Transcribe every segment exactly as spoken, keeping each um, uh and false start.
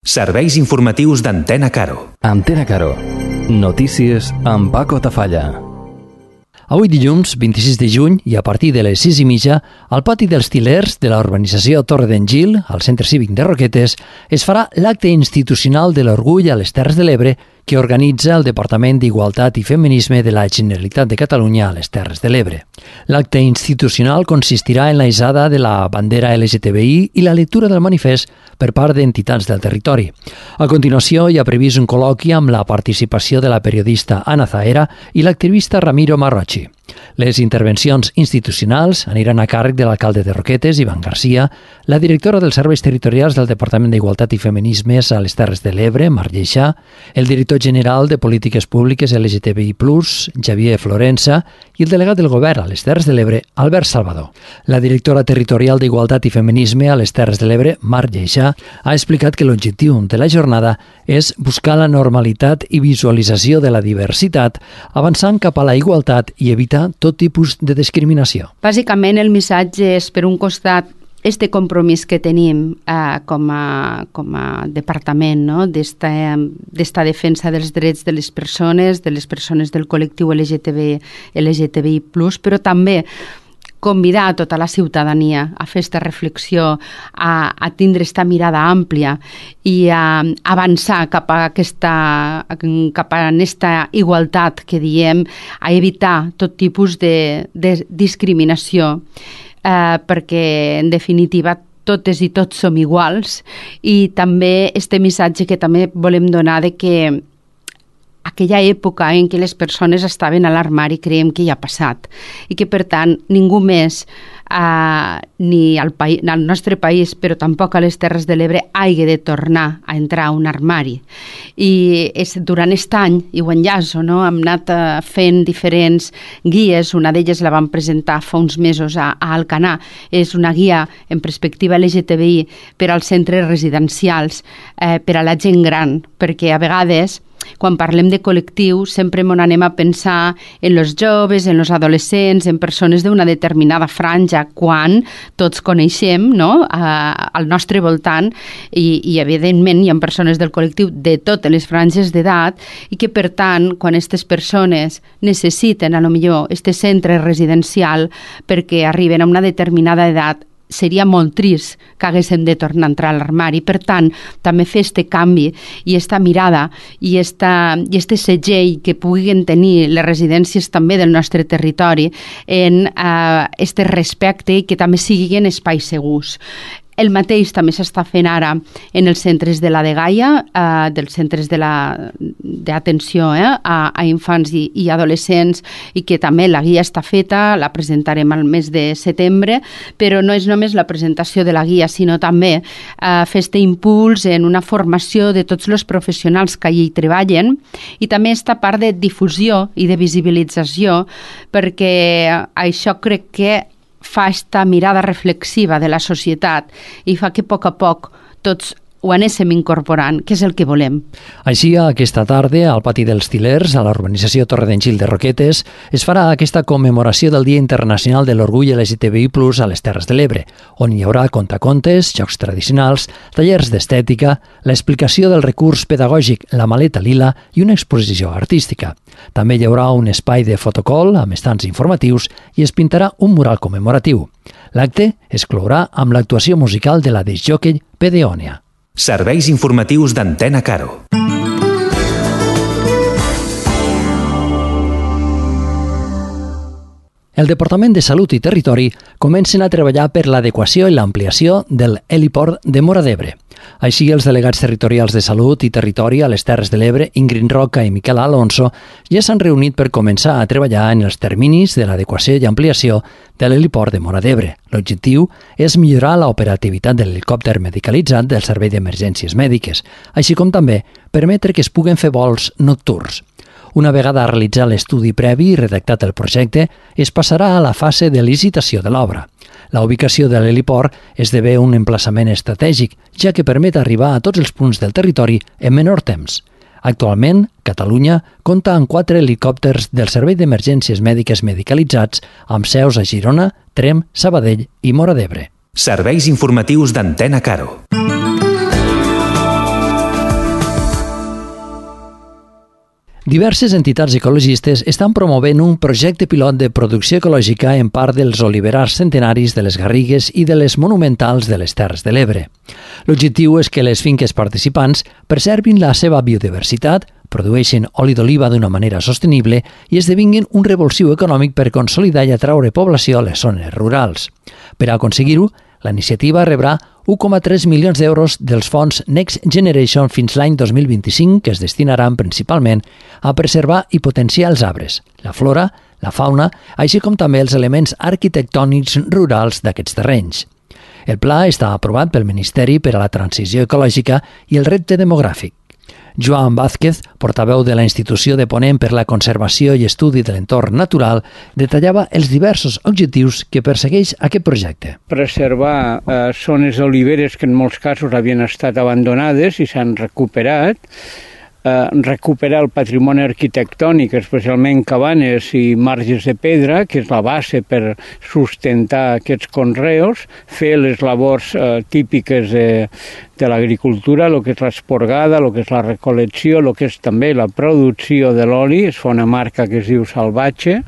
Serveis informatius d'Antena Caro. Antena Caro. Notícies amb Paco Tafalla. Avui dilluns, vint-i-sis de juny, i a partir de les sis i mitja, al pati dels Til·lers de la urbanització Torre d'en Gil, al Centre Cívic de Roquetes, es farà l'acte institucional de l'Orgull a les Terres de l'Ebre que organitza el Departament d'Igualtat i Feminisme de la Generalitat de Catalunya a les Terres de l'Ebre. L'acte institucional consistirà en la hissada de la bandera L G T B I i la lectura del manifest per part d'entitats del territori. A continuació, hi ha previst un col·loqui amb la participació de la periodista Ana Zahera i l'activista Ramiro Marrochi. Les intervencions institucionals aniran a càrrec de l'alcalde de Roquetes, Ivan Garcia, la directora dels Serveis Territorials del Departament d'Igualtat i Feminismes a les Terres de l'Ebre, Marc Lleixà, el director general de Polítiques Públiques L G T B I plus, Xavier Florença, i el delegat del Govern a les Terres de l'Ebre, Albert Salvador. La directora territorial d'Igualtat i Feminisme a les Terres de l'Ebre, Marc Lleixà, ha explicat que l'objectiu de la jornada és buscar la normalitat i visualització de la diversitat, avançant cap a la igualtat i evitar tot tipus de discriminació. Bàsicament, el missatge és, per un costat, este compromís que tenim eh, com, a, com a departament, no? d'esta, d'esta defensa dels drets de les persones, de les persones del col·lectiu L G T B I plus, però també convidar a tota la ciutadania a fer aquesta reflexió, a, a tindre aquesta mirada àmplia i a avançar cap a aquesta, cap a aquesta igualtat que diem, a evitar tot tipus de, de discriminació, eh, perquè en definitiva totes i tots som iguals, i també este missatge que també volem donar de que aquella època en què les persones estaven a l'armari creiem que ja ha passat i que, per tant, ningú més, eh, ni al, país, al nostre país, però tampoc a les Terres de l'Ebre, hagi de tornar a entrar a un armari. I és, durant aquest any, i ho enllaço, no? hem anat eh, fent diferents guies, una d'elles la vam presentar fa uns mesos a, a Alcanar, és una guia en perspectiva L G T B I per als centres residencials, eh, per a la gent gran, perquè a vegades quan parlem de col·lectiu, sempre m'on anem a pensar en els joves, en els adolescents, en persones d'una determinada franja, quan tots coneixem, no?, a, al nostre voltant, i, i evidentment hi ha persones del col·lectiu de totes les franges d'edat, i que, per tant, quan aquestes persones necessiten, a lo millor, este centre residencial perquè arriben a una determinada edat, seria molt trist que haguéssim de tornar a entrar a l'armari. Per tant, també fer este canvi i esta mirada i esta, i este segell que puguin tenir les residències també del nostre territori en eh, este respecte i que també siguin espais segurs. El mateix també s'està fent ara en els centres de la Dgaia, eh, dels centres de la, d'atenció eh, a, a infants i, i adolescents, i que també la guia està feta, la presentarem al mes de setembre, però no és només la presentació de la guia, sinó també eh, fer este impuls en una formació de tots els professionals que allí treballen, i també esta part de difusió i de visibilització, perquè això crec que fa esta mirada reflexiva de la societat i fa que a poc a poc tots ho anéssim incorporant, que és el que volem. Així, aquesta tarda, al pati dels Til·lers, a la urbanització Torre d'en Gil de Roquetes, es farà aquesta commemoració del Dia Internacional de l'Orgull L G T B I plus a les Terres de l'Ebre, on hi haurà contacontes, jocs tradicionals, tallers d'estètica, l'explicació del recurs pedagògic La Maleta Lila i una exposició artística. També hi haurà un espai de fotocol amb estants informatius i es pintarà un mural commemoratiu. L'acte es clourà amb l'actuació musical de la discjòquei Pedeònia. Serveis informatius d'Antena Caro. El Departament de Salut i Territori comencen a treballar per l'adequació i l'ampliació del heliport de Móra d'Ebre. Així, els delegats territorials de Salut i Territori a les Terres de l'Ebre, Ingrid Roca i Miquel Alonso, ja s'han reunit per començar a treballar en els terminis de l'adequació i ampliació de l'heliport de Móra d'Ebre. L'objectiu és millorar l'operativitat de l'helicòpter medicalitzat del Servei d'Emergències Mèdiques, així com també permetre que es puguen fer vols nocturns. Una vegada realitzat l'estudi previ i redactat el projecte, es passarà a la fase de licitació de l'obra. La ubicació de l'heliport esdevé un emplaçament estratègic, ja que permet arribar a tots els punts del territori en menor temps. Actualment, Catalunya compta amb quatre helicòpters del Servei d'Emergències Mèdiques medicalitzats amb seus a Girona, Tremp, Sabadell i Móra d'Ebre. Serveis informatius d'Antena Caro. Diverses entitats ecologistes estan promovent un projecte pilot de producció ecològica en part dels oliverars centenaris de les Garrigues i de les monumentals de les Terres de l'Ebre. L'objectiu és que les finques participants preservin la seva biodiversitat, produeixin oli d'oliva d'una manera sostenible i esdevinguin un revulsiu econòmic per consolidar i atraure població a les zones rurals. Per aconseguir-ho, la iniciativa rebrà u coma tres milions d'euros dels fons Next Generation fins l'any dos mil vint-i-cinc, que es destinaran principalment a preservar i potenciar els arbres, la flora, la fauna, així com també els elements arquitectònics rurals d'aquests terrenys. El pla està aprovat pel Ministeri per a la Transició Ecològica i el Repte Demogràfic. Joan Vázquez, portaveu de la Institució de Ponent per la Conservació i Estudi de l'Entorn Natural, detallava els diversos objectius que persegueix aquest projecte. Preservar eh, zones oliveres que en molts casos havien estat abandonades i s'han recuperat, eh, recuperar el patrimoni arquitectònic, especialment cabanes i marges de pedra, que és la base per sustentar aquests conreus, fer les labors eh, típiques de, de l'agricultura, el que és l'esporgada, el que és la recol·lecció, el que és també la producció de l'oli, es fa una marca que es diu Salvatge,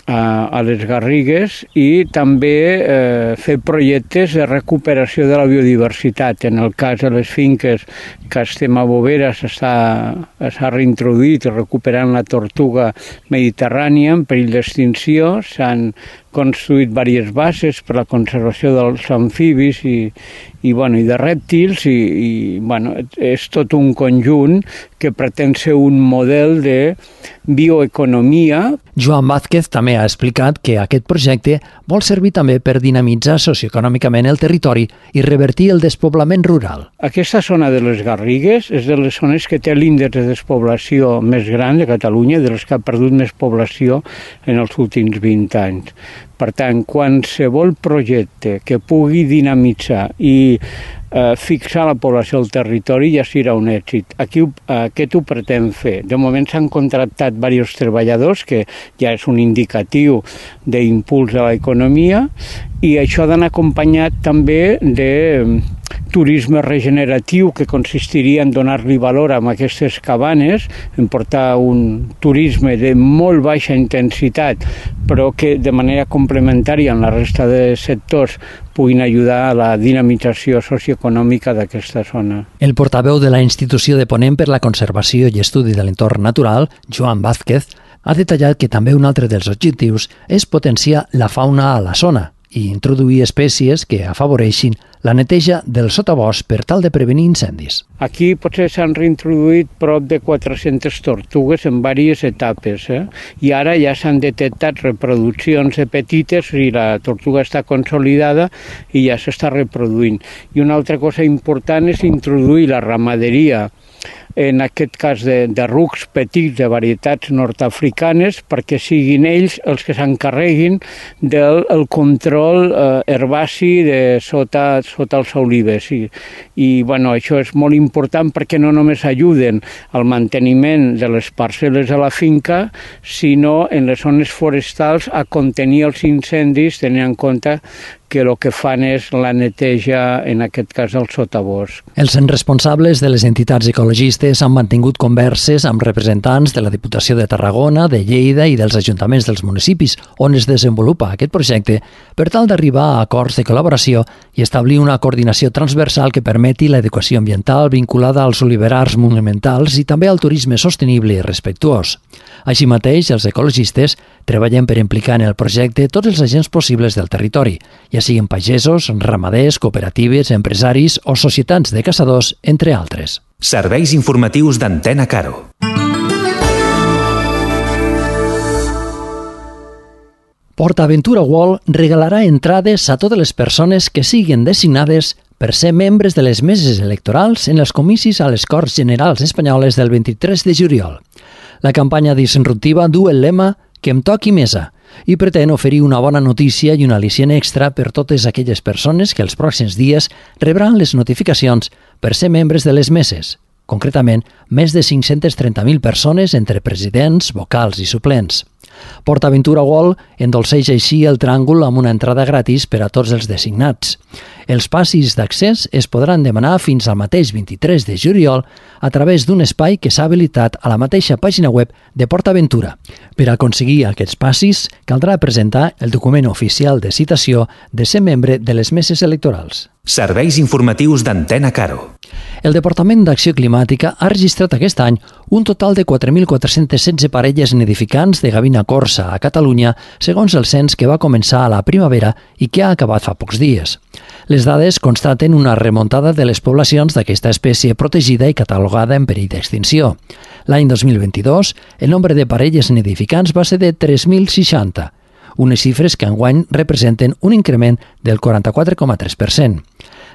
a les Garrigues, i també eh, fer projectes de recuperació de la biodiversitat. En el cas de les finques que estem a Bovera s'ha reintroduït recuperant la tortuga mediterrània en perill d'extinció, s'han construït diverses bases per la conservació dels amfibis i, i, bueno, i de rèptils i, i bueno, és tot un conjunt que pretén ser un model de bioeconomia. Joan Vázquez també ha explicat que aquest projecte vol servir també per dinamitzar socioeconòmicament el territori i revertir el despoblament rural. Aquesta zona de les Garrigues és de les zones que té l'índex de despoblació més gran de Catalunya, de les que ha perdut més població en els últims vint anys. Per tant, qualsevol projecte que pugui dinamitzar i eh, fixar la població al territori ja serà un èxit. Aquí aquest ho pretén fer. De moment s'han contractat diversos treballadors, que ja és un indicatiu d'impuls a l'economia, i això ha d'anar acompanyat també de turisme regeneratiu, que consistiria en donar-li valor a aquestes cabanes, en portar un turisme de molt baixa intensitat, però que de manera complementària en la resta de sectors puguin ajudar a la dinamització socioeconòmica d'aquesta zona. El portaveu de la Institució de Ponent per la Conservació i Estudi de l'Entorn Natural, Joan Vázquez, ha detallat que també un altre dels objectius és potenciar la fauna a la zona i introduir espècies que afavoreixin la neteja del sotabosc per tal de prevenir incendis. Aquí potser s'han reintroduït prop de quatre-centes tortugues en diverses etapes, eh? I ara ja s'han detectat reproduccions de petites i la tortuga està consolidada i ja s'està reproduint. I una altra cosa important és introduir la ramaderia, en aquest cas de, de rucs petits de varietats nord-africanes, perquè siguin ells els que s'encarreguin del el control eh, herbaci de sota, sota els olives. I, i bueno, això és molt important perquè no només ajuden al manteniment de les parcel·les a la finca, sinó en les zones forestals a contenir els incendis, tenint en compte que el que fan és la neteja, en aquest cas, del sotabosc. Els responsables de les entitats ecologistes han mantingut converses amb representants de la Diputació de Tarragona, de Lleida i dels ajuntaments dels municipis on es desenvolupa aquest projecte per tal d'arribar a acords de col·laboració i establir una coordinació transversal que permeti l'educació ambiental vinculada als oliverars monumentals i també al turisme sostenible i respectuós. Així mateix, els ecologistes treballen per implicar en el projecte tots els agents possibles del territori, ja siguin pagesos, ramaders, cooperatives, empresaris o societats de caçadors, entre altres. Serveis informatius d'Antena Caro. PortAventura World regalarà entrades a totes les persones que siguin designades per ser membres de les meses electorals en els comicis a les Corts Generals Espanyoles del vint-i-tres de juliol. La campanya disruptiva du el lema «Que em toqui mesa» i pretén oferir una bona notícia i un al·licient extra per totes aquelles persones que els pròxims dies rebran les notificacions per ser membres de les meses. Concretament, més de cinc-centes trenta mil persones entre presidents, vocals i suplents. PortAventura World endolceix així el tràngol amb una entrada gratis per a tots els designats. Els passis d'accés es podran demanar fins al mateix vint-i-tres de juliol a través d'un espai que s'ha habilitat a la mateixa pàgina web de PortAventura. Per aconseguir aquests passis, caldrà presentar el document oficial de citació de ser membre de les meses electorals. Serveis informatius d'Antena Caro. El Departament d'Acció Climàtica ha registrat aquest any un total de quatre mil quatre-cents setze parelles nidificants de gavina corsa a Catalunya, segons el cens que va començar a la primavera i que ha acabat fa pocs dies. Les dades constaten una remuntada de les poblacions d'aquesta espècie protegida i catalogada en perill d'extinció. L'any dos mil vint-i-dos, el nombre de parelles nidificants va ser de tres mil seixanta, unes xifres que enguany representen un increment del quaranta-quatre coma tres per cent.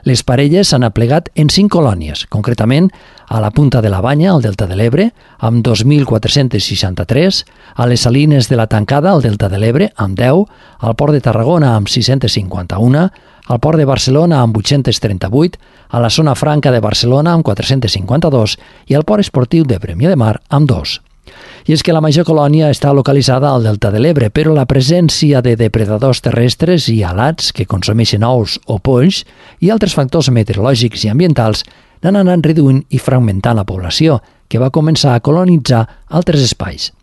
Les parelles s'han aplegat en cinc colònies, concretament a la Punta de la Banya, al Delta de l'Ebre, amb dos mil quatre-cents seixanta-tres, a les Salines de la Tancada, al Delta de l'Ebre, amb deu, al Port de Tarragona, amb sis-cents cinquanta-un, al Port de Barcelona, amb vuit-cents trenta-vuit, a la Zona Franca de Barcelona, amb quatre-cents cinquanta-dos, i al Port Esportiu de Premià de Mar, amb dos. I és que la major colònia està localitzada al Delta de l'Ebre, però la presència de depredadors terrestres i alats que consumeixen ous o polls i altres factors meteorològics i ambientals n'han anat reduint i fragmentant la població, que va començar a colonitzar altres espais.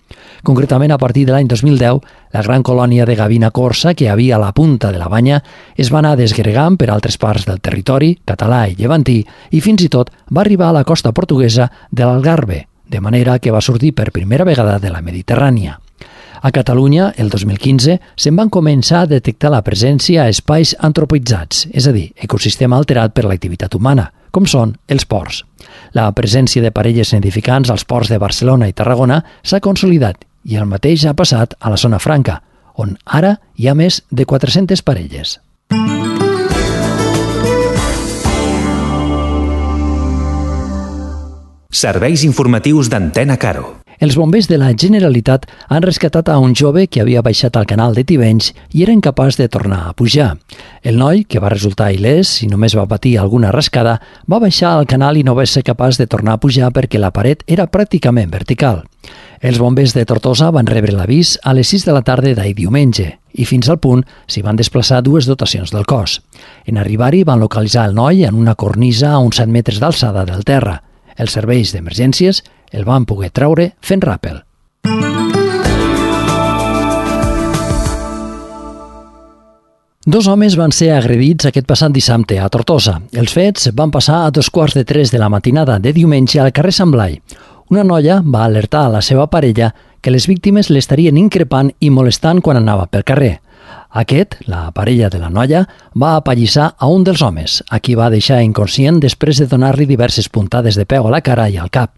Concretament, a partir de l'any dos mil deu, la gran colònia de gavina corsa que hi havia a la Punta de la Banya es va anar desgregant per altres parts del territori, català i llevantí, i fins i tot va arribar a la costa portuguesa de l'Algarve, de manera que va sortir per primera vegada de la Mediterrània. A Catalunya, el dos mil quinze, se'n van començar a detectar la presència a espais antropitzats, és a dir, ecosistema alterat per l'activitat humana, com són els ports. La presència de parelles nidificants als ports de Barcelona i Tarragona s'ha consolidat i el mateix ha passat a la Zona Franca, on ara hi ha més de quatre-centes parelles. Serveis informatius d'Antena Caro. Els bombers de la Generalitat han rescatat a un jove que havia baixat al canal de Tivenys i era incapaç de tornar a pujar. El noi, que va resultar il·lès i només va patir alguna rascada, va baixar al canal i no va ser capaç de tornar a pujar perquè la paret era pràcticament vertical. Els bombers de Tortosa van rebre l'avís a les sis de la tarda d'ahir diumenge i fins al punt s'hi van desplaçar dues dotacions del cos. En arribar-hi van localitzar el noi en una cornisa a uns set metres d'alçada del terra. Els serveis d'emergències el van poder treure fent ràpel. Dos homes van ser agredits aquest passat dissabte a Tortosa. Els fets van passar a dos quarts de tres de la matinada de diumenge al carrer Sant Blai. Una noia va alertar a la seva parella que les víctimes l'estarien increpant i molestant quan anava pel carrer. Aquest, la parella de la noia, va apallissar a un dels homes, a qui va deixar inconscient després de donar-li diverses puntades de peu a la cara i al cap.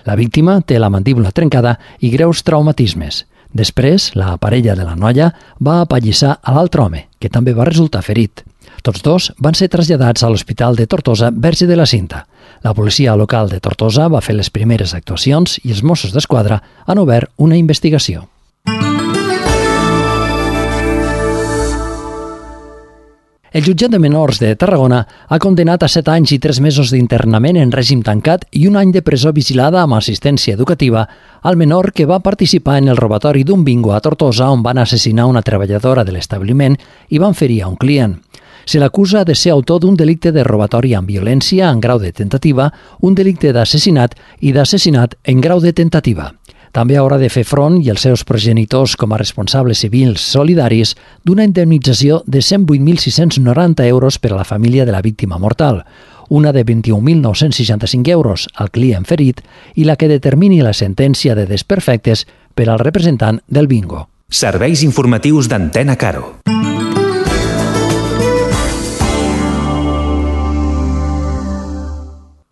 La víctima té la mandíbula trencada i greus traumatismes. Després, la parella de la noia va apallissar a l'altre home, que també va resultar ferit. Tots dos van ser traslladats a l'Hospital de Tortosa Verge de la Cinta. La policia local de Tortosa va fer les primeres actuacions i els Mossos d'Esquadra han obert una investigació. El jutjat de menors de Tarragona ha condenat a set anys i tres mesos d'internament en règim tancat i un any de presó vigilada amb assistència educativa al menor que va participar en el robatori d'un bingo a Tortosa on van assassinar una treballadora de l'establiment i van ferir a un client. Se l'acusa de ser autor d'un delicte de robatori amb violència en grau de tentativa, un delicte d'assassinat i d'assassinat en grau de tentativa. També haurà de fer front, i els seus progenitors com a responsables civils solidaris, d'una indemnització de cent vuit mil sis-cents noranta euros per a la família de la víctima mortal, una de vint-i-un mil nou-cents seixanta-cinc euros al client ferit i la que determini la sentència de desperfectes per al representant del bingo. Serveis informatius d'Antena Caro.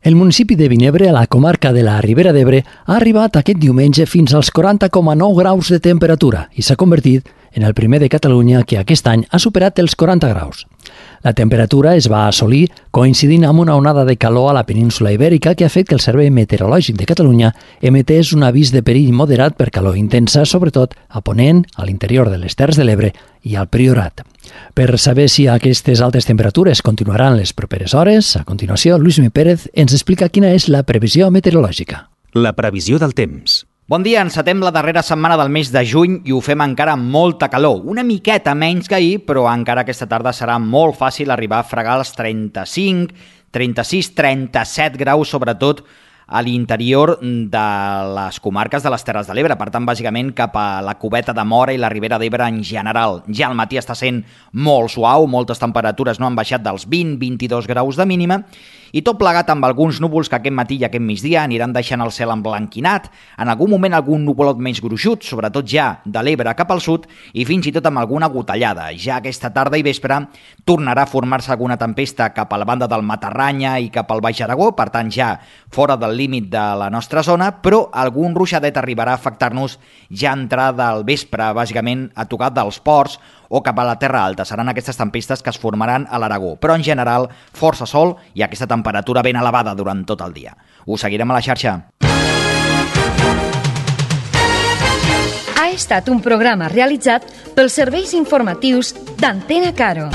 El municipi de Vinebre, a la comarca de la Ribera d'Ebre, ha arribat aquest diumenge fins als quaranta coma nou graus de temperatura i s'ha convertit en el primer de Catalunya que aquest any ha superat els quaranta graus. La temperatura es va assolir coincidint amb una onada de calor a la península Ibèrica que ha fet que el Servei Meteorològic de Catalunya emetés un avís de perill moderat per calor intensa, sobretot a Ponent, a l'interior de les Terres de l'Ebre i al Priorat. Per saber si aquestes altes temperatures continuaran les properes hores, a continuació, Lluís Mi Pérez ens explica quina és la previsió meteorològica. La previsió del temps. Bon dia, encetem la darrera setmana del mes de juny i ho fem encara amb molta calor. Una miqueta menys que ahir, però encara aquesta tarda serà molt fàcil arribar a fregar els trenta-cinc, trenta-sis, trenta-set graus, sobretot a l'interior de les comarques de les Terres de l'Ebre. Per tant, bàsicament cap a la Cubeta de Móra i la Ribera d'Ebre en general. Ja al matí està sent molt suau, moltes temperatures no han baixat dels vint a vint-i-dos graus de mínima, i tot plegat amb alguns núvols que aquest matí i aquest migdia aniran deixant el cel emblanquinat, en algun moment algun nuvolot menys gruixut, sobretot ja de l'Ebre cap al sud, i fins i tot amb alguna gotellada. Ja aquesta tarda i vespre tornarà a formar-se alguna tempesta cap a la banda del Matarranya i cap al Baix Aragó, per tant ja fora del límit de la nostra zona, però algun ruixadet arribarà a afectar-nos ja a entrar del vespre, bàsicament a tocar dels ports o cap a la Terra Alta. Seran aquestes tempestes que es formaran a l'Aragó, però en general força sol i aquesta temperatura ben elevada durant tot el dia. Us seguirem a la xarxa. Ha estat un programa realitzat pels serveis informatius d'Antena Caro.